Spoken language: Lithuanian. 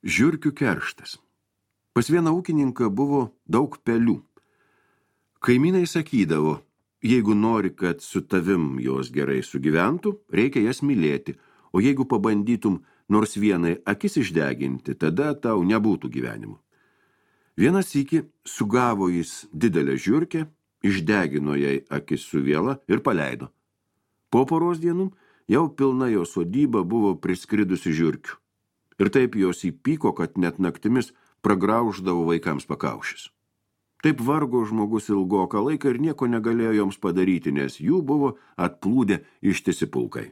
Žiurkių kerštas. Pas vieną ūkininką buvo daug pelių. Kaimynai sakydavo, jeigu nori, kad su tavim jos gerai sugyventų, reikia jas mylėti, o jeigu pabandytum nors vienai akis išdeginti, tada tau nebūtų gyvenimo. Vienas sykį sugavo jis didelę žiurkę, išdegino jai akis su viela ir paleido. Po poros dienų jau pilna jo sodyba buvo priskridusi žiurkių. Ir taip jos įpyko, kad net naktimis pragrauždavo vaikams pakaušis. Taip vargo žmogus ilgoką laiką ir nieko negalėjo joms padaryti, nes jų buvo atplūdę ištisi pulkai.